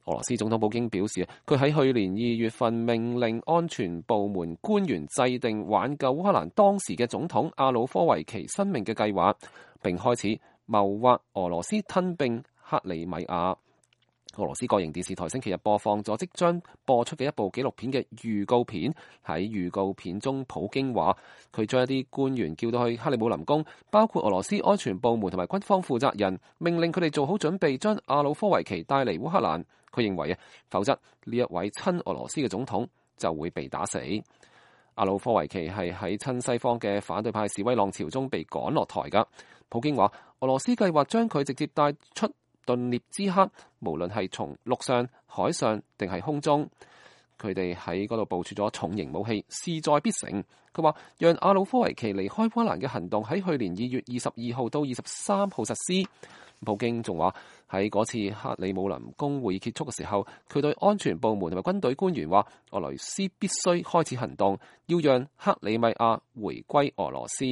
俄羅斯總統普京表示，佢喺去年2月份命令安全部門官員制定挽救烏克蘭當時嘅總統亞努科維奇生命嘅計劃，並開始謀劃俄羅斯吞併克里米亞。俄羅斯國營電視台星期日播放咗即將播出嘅一部紀錄片嘅預告片。喺預告片中，普京話佢將一啲官員叫到去克里姆林宮，包括俄羅斯安全部門同埋軍方負責人，命令佢哋做好準備將亞努科維奇帶嚟烏克蘭。佢認為否則呢一位親俄羅斯嘅總統就會被打死。亞努科維奇係喺親西方嘅反對派示威浪潮中被趕落台㗎。普京話俄羅斯計劃將佢直接帶出頓涅茨克，無論係從陸上、海上定係空中，佢哋喺嗰度部署咗重型武器，勢在必成。佢話讓亞努科維奇離開烏克蘭嘅行動喺去年2月22號到23號實施。普京仲話喺嗰次克里姆林宮會議結束嘅時候，佢對安全部門同埋軍隊官員話，俄羅斯必須開始行動，要讓克里米亞回歸俄羅斯。